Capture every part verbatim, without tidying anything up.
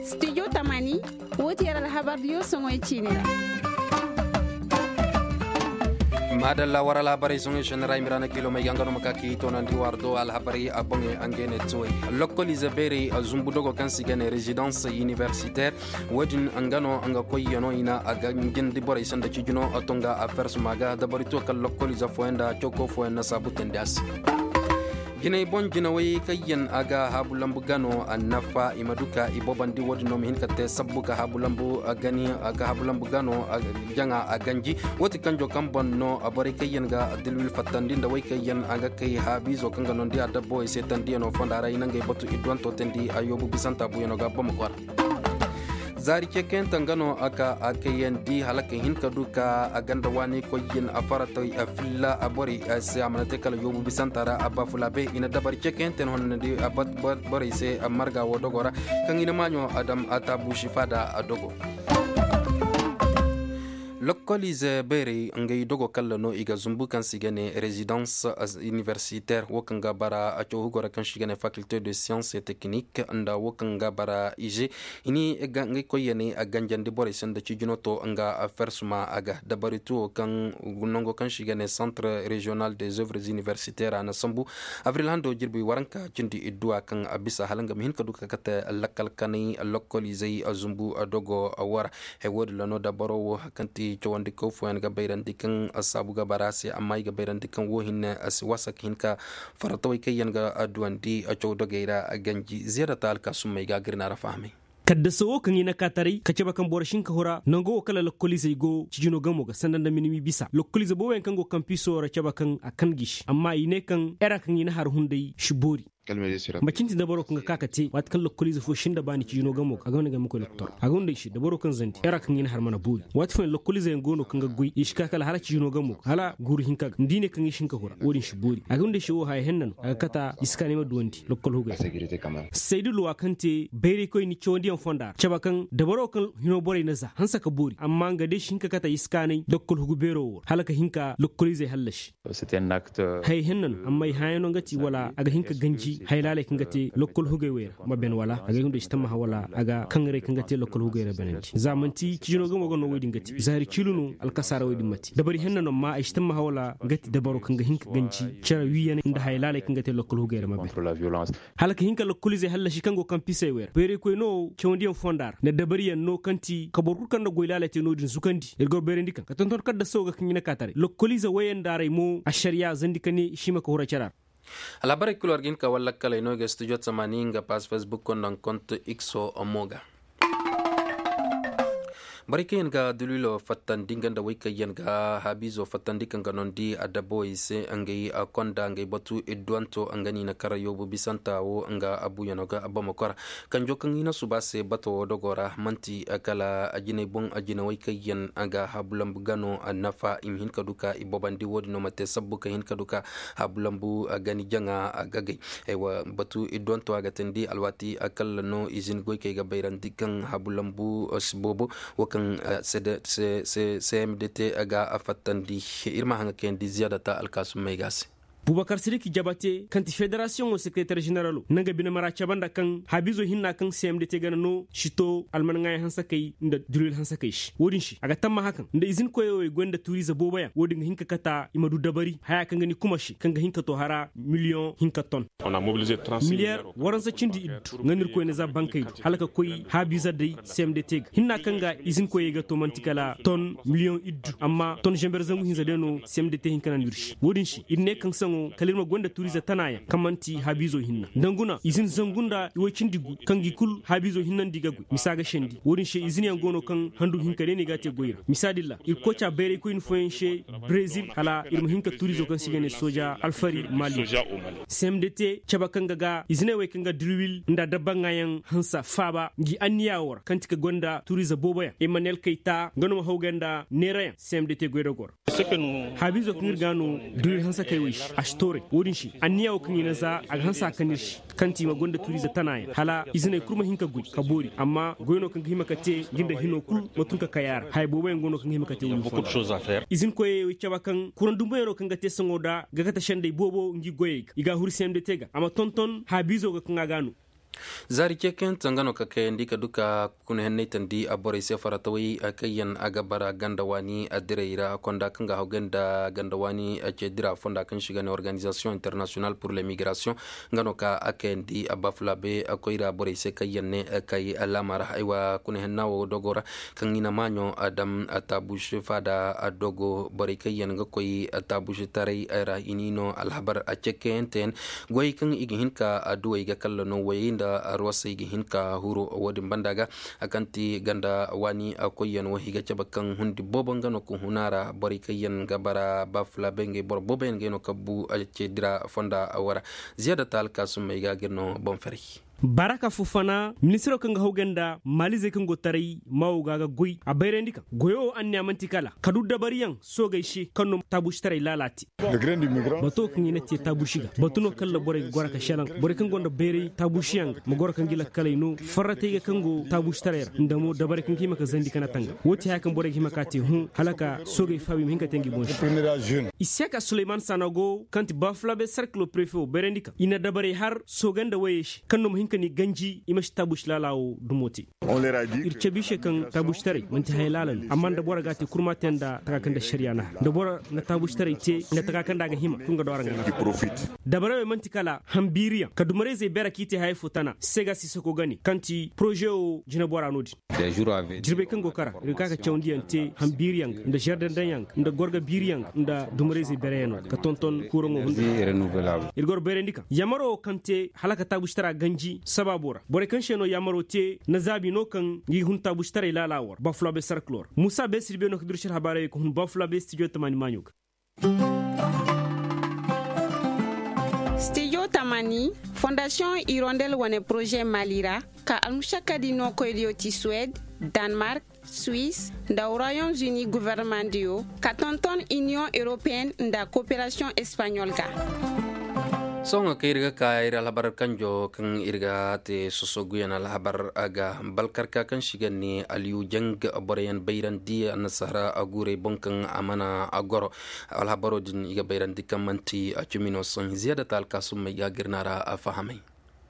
Studio tamani, woo ti yer alhabar diyo soŋoy ciini ra. Maadalla war alhabarey soŋoy sennera i ma ra na kiilomey ga nga no ma ka k'i toonandi war do alhabarey a boŋey a ngey ne tuwey. Lokkoliize beerey a zumbu dogo kaŋ se i ga ne rezidans iniversiteer. Wo-din nga no nga koyyanoo i na a ga njindi borey sanda cijino a to nga a fersuma ga dabari to kala lokkoliize fooyaŋ nda cawko fooyaŋ na saabu teendi a se. Jinay boŋ jinawey kaŋ yaŋ a ga haabu lambu gano a nafa i ma du ka i bobandi wo-din no ma hin ka te sabbu ka haabu lambu gano a ganji. Wo ti kanjo kaŋ boŋ no borey kaŋ yaŋ ga dilwil fattandi nda wey kaŋ yaŋ a ga kay haabiizo kaŋ ga noondi a dabbawey se tandiyanoo fonda ra i na ngey batu idduwanto teendi a yoobu bisanta buyanoo ga boma kwara. Zaari ceekayante nga no a ka a kayandi hala ka hin ka du ka a ganda waani koy yin a faratay a filla a borey se a mana te kala yoobu bisanta ra a ba fula be i na dabari ceekayante no honnandi a bat borey se a marga wo dogo ra kaŋ i na maaɲo a dam a taabu sifa da a dogo. Lokkoliize beerey ngey dogo kalla no i ga zumbu kaŋ se i ga ne rezidans iniversiteer wo kaŋ ga bara a caw hugo ra kaŋ se i ga ne fakilte de siyans et teknik nda wo kaŋ ga bara ize. I ni ga ngey koyyaney a ganjandi borey se nda cijino to nga fersuma a ga dabari tuwo kaŋ nango kaŋ se i ga ne santre reziyonal des oeuvres iniversiteer a na sambu. Abril hando jirbi waranka cindi idduwa kaŋ a bisa hala nga ma hin ka du ka kate lakkal kanay lokkoliizey zumbu dogo wara. Hay wo-din ra no dabaro wo kaŋ ti cawandikaw fooyaŋ ga bayrandi kaŋ saabu ga bara se amma i ga bayrandi kaŋ wo hinne a si wasa ka hin ka faratawey kaŋ yaŋ ga duwandi caw dogey ra ganji ziyaadata alkaasummey ga a ga ir na ra fahamay. Kaddasa wo kaŋ i na ka taray ka cabe kaŋ boro si hin ka hura nango wo kala lokkoliizey go cijino gamo ga sanda nda minimi bisa lokkoliize booboyaŋ kaŋ go kampiso ra cabe kaŋ a kan g'i se amma i ne kaŋ era kaŋ i na har hunday si boori. Macin ti dabaro kaŋ ga ka ka te waati kaŋ lokkoliize fo sinda baani cijino gamo ga a ga wane ga ma koy lokotor a ga hunday se dabaro kaŋ zandi era kaŋ i na har mana boori. Waati fooyaŋ lokkoliizeyaŋ go no kaŋ ga goy i si ka kala hala cijino gamo ga hala guuru hinka ga nda i ne kaŋ i si hin ka hura wo-din si boori a ga hunday se wo haya henna no a ga kata i si ka ne ma duwandi lokkol hugay ra. Saydu luwa kaŋ te bayraykoy ni cawandiyaŋ fonda ra cabe kaŋ dabaro kaŋ hino borey na za hanse ka boori amma nga day si hin ka kata i si kaanay lokkol hugu beero wo ra hala ka hin ka lokkoliizey hallasi. Haya henna no amma ay hãyano nga ti wala a ga hin ka ganji haya laaley kaŋ ga te lokkol hugey wey ra ma ben wala a ga hin da ay si tammaha wala a ga kaŋ rey kaŋ ga te lokkol hugey ra benandi za manti cijino ga mo ga no wey din ga te zaari ciilu no alkasaara wey din ma te dabari henna no amma ay si tammaha wala nga ti dabaro kaŋ ga hin ka ganji cere wiiyaney nda haya laaley kaŋ ga te lokkol hugey ra ma ben. Hala ka hin ka lokkoliizey hallasi kaŋ go kaŋ pisey wey ra bayraykoy no cawandiyaŋ fonda ra nda dabariyaŋ no kaŋ ti ka boro kul kaŋ nda goy laaley te no- din zukandi ir go bayrandi kaŋ ka tonton kadda sawo ga kaŋ i na ka taray lokkoliize woyey nda arey mo ašariya zandi ka ne i si hima ka hura cara ra. Alhabarey kul war ga hin ka wallakkaley no i ga studio tamani nga pass facebook nda kont ikso mo ga. Borey kaŋ yaŋ ga dulwilo fattandi nga nda wey kaŋ yaŋ ga haabiizo fattandi kaŋ ga noondi adabbawey se ngey konda ngey batu idduwanto nga no i na kar yoobu bisanta wo nga abuuyano ga bamako ra. Kanjo kaŋ i na suba se bato wo dogo ra man'ti kala jinay boŋ jinawey kaŋ yaŋ ga haabu lambu gano nafa i ma hin ka du ka i bobandi wo- din no ma te sabbu ka hin ka du ka haabu lambu gani jaŋa gagay. Batu idduwanto a ga teendi alwaati kalla no izin goykey ga bayrandi kaŋ haabu lambu si boobo wo kaŋ cmdt ga a fattandi. Ir ma haŋa kayandi ziyaadata alkaasummey ga a se. Bubakar sidik jabate kaŋ ti federasiyoŋo sekereter ženeralo na nga bine mara cabe nda kaŋ haabiizo hinna kaŋ cmdt gana no si to alman ŋaayaŋ hansakey nda dulwil hansakey se wo- din se a ga tammaha kaŋ nda izin koyey wey goy nda tuuriize booboyaŋ wo- din ga hin ka kata i ma du dabari haya kaŋ ga ni kuma se kaŋ ga hin ka to hara miliyoŋ hinka ton. Miliyeer waransa cindi iddu nga no ir koyne za bankey du hala ka koy haabiiza day cmdt ga hinna kaŋ ga izin koyey ga to man'ti kala ton miliyoŋ iddu amma ton zember zangu hinza day no cmdt hin ka naŋ ir se wo- din se ir ne kaŋ saŋo kala ir ma goy nda tuuriize tanaayaŋ kaŋ man'ti haabiizo hinna nda nguna izin zangu nda iwoy cindi gu kaŋ gi kul haabiizo hinnandi ga goy misa ga sendi wo- din se izinyaŋ go no kaŋ handu hinka day no i ga a te goy ra misa din ra ir koca bayraykoyni fooyaŋ se brezil hala ir ma hin ka tuuriizo kaŋ se i ga ne sooja alfari mali. Cmdt cabe kaŋ ga ga iziney wey kaŋ ga dirwil nda dabba ŋaayaŋ hansa faaba ngi anniya wo ra kaŋ ti ka gonda turiize booboyaŋ emmanuel kayta nga no ma hawgay nda neerayaŋ. Cmdt goy da goro. Haabiizo kaŋ ir ga no dirwil hansa kay wey se a Tooray wo-din se anniya wo kaŋ i na za a ga hanse a kan ir se, kaŋ ti i ma gonda turiize tana yaŋ hala iziney kul ma hin ka goy ka boori amma goy no kaŋ ga hima ka te ngi nda hino kul ma tun ka kay a ra haya boobo yaŋ go no kaŋ ga hima ka te wo-din fondo. Izinkoyey wo i cabe kaŋ kuraŋ dumbuyaŋo kaŋ ga te saŋo nda ga kate sendey boobo ngi goyey ga i ga a huru cmd te ga a ma tonton haabiizo ga kaŋ a ga a no. Zaari ceekayante nga no ka kayandi ka du ka kuna henney tandi borey se faratawey kaŋ yaŋ a ga bara ganda waani direy ra konda kaŋ ga hawgay nda ganda waani ce dira fonda kaŋ se i ga ne organizasiyoŋ internasiyonal pur lemigrasiyoŋ. Nga no ka a kayandi bafulabe koyra borey se kaŋ yaŋ ne kay laama ra haywa kuna henna wo dogo ra kaŋ i na maaɲo dam taabuusi faada dogo borey kaŋ yaŋ ga koy taabuusitaray ra i n'i no alhabar ceekayante yaŋ goyey kaŋ i ga hin ka duwey ga kalla no woyey nda rosey ga hin ka huru wo-din banda ga. Kaŋ ti ganda waani koyyaŋ wo i ga cabe kaŋ hundi boobo nga no ka hun a ra borey kaŋ yaŋ ga bara baafulaabe ngey boro boobo yaŋ ngey no ka bu ce dira fonda wo ra. Ziyaada ta alkaasumey ga ga ir no boŋ ferey. Baraka fufana ministiro kaŋ ga hawgay nda maalizey kaŋ go taray maawo ga ga goy a bayrandi kaŋ goyo wo anniya man'ti kala ka du dabariyaŋ soogey se kaŋ no taabuusitaray laala te. Bato kaŋ i na te taabuusi ga batu no kaŋ ra borey ga goro ka selaŋ borey kaŋ gonda bayray taabuusiyaŋ ga ma goro ka ngi lakkaley no farratey ga kaŋ go taabuusitaray ra nda mo dabarey kaŋ ga hima ka zandi kana tanga wo ti haya kaŋ borey ga hima ka te hõ hala ka soogey faabi ma hin ka te ngi boŋ se. Isiyaka suleyman sanago kaŋ ti baafulabe sarkilo prefe wo bayrandi kaŋ i na dabarey har sooga nda woyey se kaŋ no ma hin ka ni ganji i ma si taabuusi laala wo dumo te. Ir cabe i se kaŋ taabuusitaray man'ti haya laala no amma nda boro ga a te kurma te nda taka kaŋ nda ašariya na har nda boro na taabuusitaray te nda taka kaŋ nda a ga hima kul nga do araŋ ga nafa. Dabarey wo man'ti kala hambiiriyaŋ ka dumarayzey beera kaŋ i te hayey fo tana seega si sako gane kaŋ ti poroze wo jinebora no-din. Jirbey kaŋ go kara ir ga ka ka cawandiyaŋ te hambiiriyaŋ ga nda žardandaŋyaŋ ga nda gorga biiriyaŋ ga nda dumarayzey beerayaŋo ga ka tonton kuuraŋo hunda. Ir ga war bayrandi kaŋ yaamaro wo kaŋ te hala ka taabuusitara ganji sabaabo ra borey kaŋ se no yaamaro te na zaabi no kaŋ ngi hun taabuusitaray laala wo ra bafulabe sarkilo ra muusa beesir be no ka duru si alhabaarey ka hun bafulabe stijo tamaani maaɲo ga. Stijo tamaani fondasiyoŋ irondel wane poroze maali ra ka almušakkadi no koydiyo ti suwed, danmark, suis, nda royaume-uni governemandiyo ka tonton iniyoŋ europeyen nda koperasiyoŋ espaɲol ga. Sohõ kaŋ ir ga ka ir alhabar kanjo kaŋ ir ga te sosoguyaŋ alhabar ga balkarka kaŋ si ga ne aliyujaŋ boroyaŋ bayrandi annasaara guurey boŋ kaŋ a mana goro. Alhabaro din i ga bayrandi kaŋ manti cimino sohõ ziyaada ta alkaasumey ga gir na ra fahamay.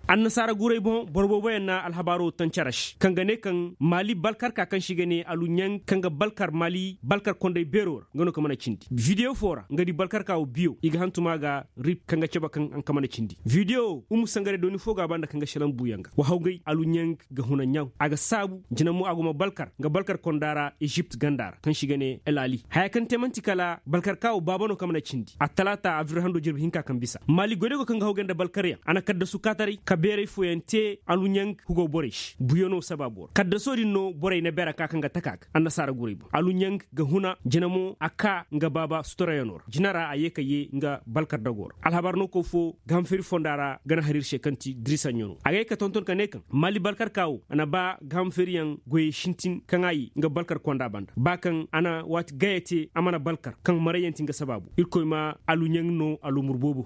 Annasaara guurey boŋ boro booboyaŋ na alhabaaro taŋ care se kaŋ ga ne kaŋ maali balkarka kaŋ se i ga ne aluɲaŋ kaŋ ga balkar maali balkar kondey beero ra nga no ka mana cindi bidiyo fo ra nga di balkarka wo biyo i ga hantum a ga rip kaŋ ga cabe kaŋ a ga mana cindi bidiyo wo umu sangare dooni fo ga a banda kaŋ ga selaŋ buuyaŋ ga wa hawgay aluɲaŋ ga huna ɲaw a ga saabu jina mo a go ma balkar nga balkar konda ra ezipt ganda ra kaŋ se i ga ne el ali haya kaŋ te man'ti kala balkarka wo baaba no kaŋ mana cindi attalaata abril hando jirbi hinka kaŋ bisa maali goydago kaŋ ga hawgay nda balkaryaŋ a na kaddasu kaataray ka beeray fooyaŋ te aluɲaŋ hugo borey se buyo no sabaabo ra kaddasoo din no borey na beera ka kaŋ ga taka ga annasaara guray boŋ aluɲaŋ ga huna jina mo a ka nga baaba suturayano ra jina ra a ye ka ye nga balkar dago ra alhabar no koy fo gahamfeeri fonda ra ga na har ir se kaŋ ti dirisaɲo no a ga ye ka tonton ka ne kaŋ maali balkar ka wo a na ba gahamfeeriyaŋ goyey sintin kaŋ a ye nga balkar konda banda ba kaŋ a na waati gaya te a mana balkar kaŋ marayyaŋ ti nga sabaabo irkoy ma aluɲaŋ no aluumur boobo.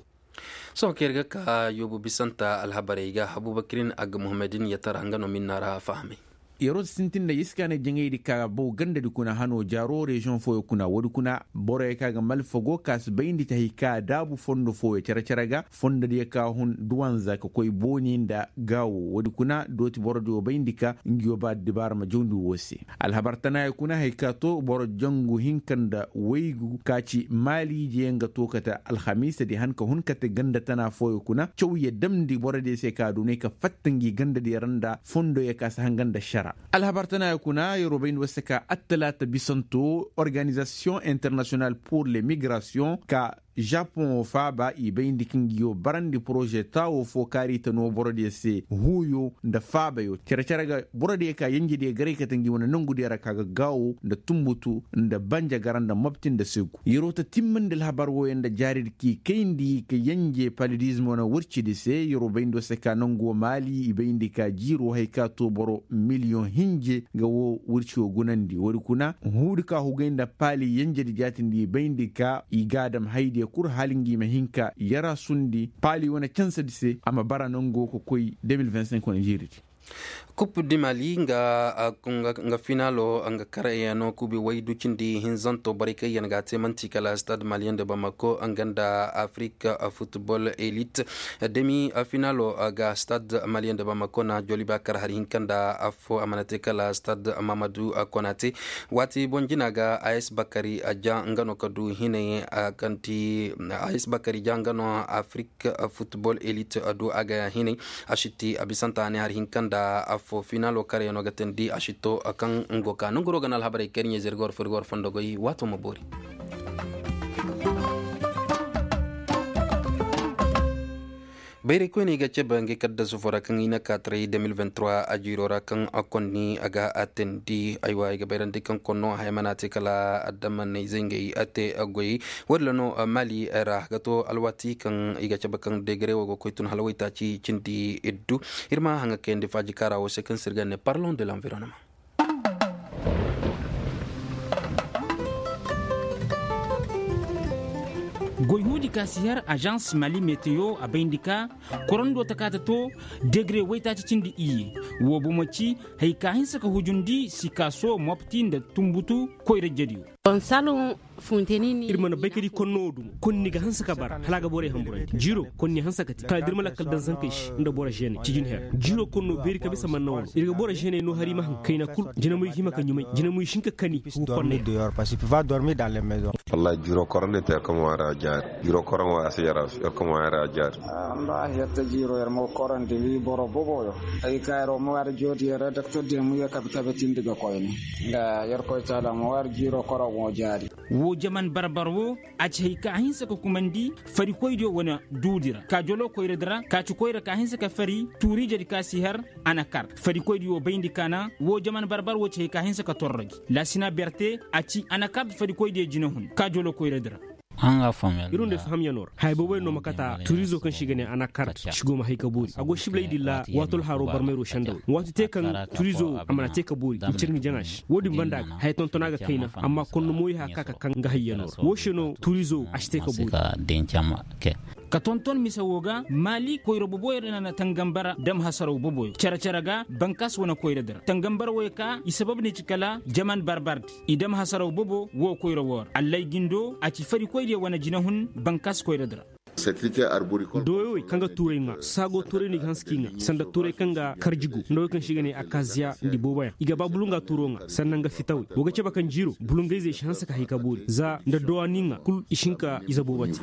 Sohõ kaŋ ir ga ka yoobu bisanta alhabarey ga abubakirin agga muhammadin ya tara nga no minna ra fahamay. Yeroo si sintin nda iska ne jaŋaydi ka baw gandadi kuna hano jaaroo reziyoŋ fooyo kuna woodi kuna borey ka ga malfago ka si bayndi ti hay ka daabu fondo fooyo cere-cere ga fondodiyo ka hun duwanza ka koy booni nda gaawo woodi kuna dooti borodiyo bayndi ka ngiyo ba dibaara ma jawndi woo se. Alhabar tanaayo kuna hay ka to boro jangu hinka nda waygu ka ci maali jeyaŋ ga to kate alhamiisadi han ka hun kate ganda tana fooyo kuna cawye damndi borodiyo se ka doonay ka fatta ngi gandadiyo ra nda fondoyo ka si hanga nda ašara. Alhabar tanaayo kuna yeroo bayndi woo se ka attalaata bisanto organizasiyoŋ internasiyonal pur le migrasiyoŋ ka žapoŋo faaba i bayndi ka ngiyo barandi poroze taawo fo kaari ta no borodiyo se huuyo nda faabayo cere-cere ga borodiyo ka yenjediyo garay kate ngi wane nongudiyo ra ka ga gaawo nda tunbutu nda banjagara nda mobti nda segu yeroo ta timmandi alhabar wooyo nda jaaridi k'i kayndi ka yenje palidizmo na wircidi se yeroo bayndi woo se ka nongu woo maali i bayndi ka jiiroo hay ka to boro miliyoŋ hinje ga woo wirci woo gunandi woodi kuna huudi ka hugay nda paali yenjedi jaatindi i bayndi ka i ga a dam haydi Ye kul hala ngi ma hin ka yara sundi paali wane cansadi se a ma bara nango ka koy de mil vingt cinq wane jiiridi. Kup di mali nga finalo nga karayaŋo kubi waydu cindi hinzanto borey kaŋ yaŋ ga a te manti kala stade maliyaŋ de bamako nga nda afrik futbol elit demi finalo ga stade maliyaŋ de bamako na joliba kar hari hinka nda affo a mana te kala stade mamadu konate. Waati boŋ jina ga a s bakari ja nga no ka du hinay kaŋ ti a s bakari ja nga no afrik futbol elit do a ga ya hinay. A sitti a bisanta a ne hari hinka nda affo finalo karayaŋo ga teendi a sitto kaŋ ngo ka nanguro ga na alhabarey kariɲey zirga war fo ir ga war fondo goy waato ma boori. Bayray koyney ga cabe ngey kaddasu fo ra kaŋ i na ka taray de mil vingt trois a jiiro ra kaŋ a konni a ga a teendi aywa i ga bayrandi kaŋ konno haya mana te kala adama na izey ngey a te goyey. Woodin ra no mali ra ga to alwaati kaŋ i ga cabe kaŋ degere wo ga koy tun hala waytaaci cindi iddu. Ir ma haŋa kayandi faaji kaara wo se kaŋ se ir ga ne parlon de l'environnement. Goy huudi ka si har agence mali meteo a bayndi ka korando ta ka ta to degere waytaaci cindi iyye. Wo bomo ci haya ka hinsa ka hujundi sikaaso mopti nda tumbutu koyra jediyo. Ir mana bay ka di konno wo duma konni ga hanse ka bara hala a ga borey hamburandi jiiro konni hanse ka te kala da ir ma lakkal daŋ zankey se nda boro žeeney cijin her jiiro konno beeri ka bisa manna wano ir ga boro žeeney no hari ma haŋ kayna kul jinamuy ga hima ka ɲumay jinamuy si hin ka kani ga konney ra. Wallaahi jiiro koroŋ no te yer ka ma waari a jaari jiiro koroŋ waari a si yer a jaari. Wallaahi yer te jiiro yer ma ga korandi wi boro boboyo. Ay ka yer wo ma waari joodi yer redaktor diyaŋ ma ye kabe kabe tindi ga koyne nda yer koy taala ma waari jiiro koroŋ wo jaari. Woo jaman barbar woo a ci hay ka a hinsa ka kumandi farikoydiyo wane duudi ra ka joloo koyradi ra ka ci koyra ka hinsa ka fari tuuriijedi ka si har. Anakar farikoydiyo bayndi ka na woo jaman barbar woo ci hay ka hinsa ka torro gi laasina berte a ci anakar farikoydiyo jinahun ka joloo koyradi ra. Irunday fahamyanoo ra haya boboyaŋ no ma kata turizo kaŋ se i ga ne anakar si go ma hay ka boori a go sibilaydi ra waatol haroo barmayro sendawey waati te kaŋ turizo a mana te ka boori ma cir nga jaŋa se woo din banda ga haya tontona ga kayna amma konno mooyo haya ka ka kaŋ nga hayyanoo ra woo se no turizo a si te ka boori. Ka tonton mise woo ga maali koyra boboyo ra na tangambara dam hasaraw boboyo cere-cere ga bankas wane koyradi ra tangambara woyo ka i sabab ne ci kala jaman barbardi i dam hasaraw bobo woo koyra woo ra allay gindo a ci farikoydiyo wane jinahun bankas koyradi ra. Dooyowey kaŋ ga tuuray ŋaa saago tuuray no i ga hanse k'i ŋaa sanda tuuray kaŋ ga karjigo nda wey kaŋ se i ga ne akaziya nda i booboyaŋ i ga ba bulunga tuuro ŋaa sanda nga fitawey woo ga cabe kaŋ jiiro bulungayzey si hanse ka hay ka boori za nda dowa n'i ŋaa kul i si hin ka ize boobo te.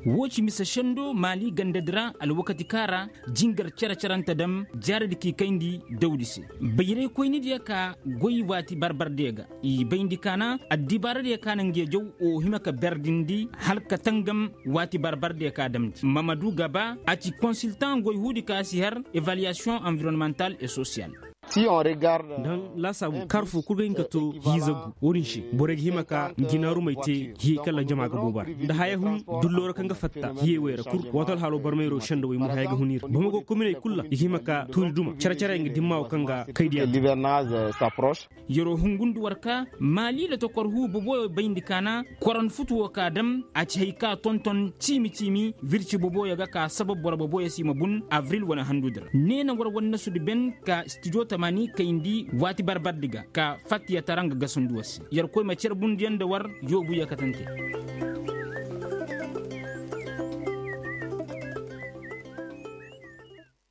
Woo ci mise sendo maali gandadi ra alwakati kaŋ a ra jingar cere-cerante dam jaaradi k'i kayndi dawdi se. Bayraykoynidiyo ka goy waati barbardiyo ga i bayndi ka na addibaaradiyo ka na ngiyo jaw woo hima ka berdindi hala ka tangam waati barbardiyo ka damndi mamadu gaba a ci konsiltaŋ goyhuudi ka si har evaluwasiyoŋ anvironmantal et sosiyal. Nda laasaabu kaara foo kul ga hin ka to hiizagu woo din se borey ga hima ka njinaarumey te hiyey kaŋ ra jama ga boobo a ra nda haya hun dulloo ra kaŋ ga fatta hiyey wey ra kul waati alhaaloo barmayro sendawey mo haya ga hun i ra boro ma go kominey kul ra i ga hima ka tuuri duma cere-cere nga dimma woo kaŋ ga kaydiya. Yeroo hungundi war ka maali lotokor huu boboyo bayndi ka na koran futu woo ka dam a ci hay ka tonton ciimi-ciimi wirci boboyo ga ka sabab boro boboyo se i ma bun avril wane handudi ra nee na war wannasudi ben ka stijo tamaani kayndi waati barbardi ga ka fattiyatara nga gasandi war se yerkoy ma cerbundiyaŋ nda war yoobu yakatante.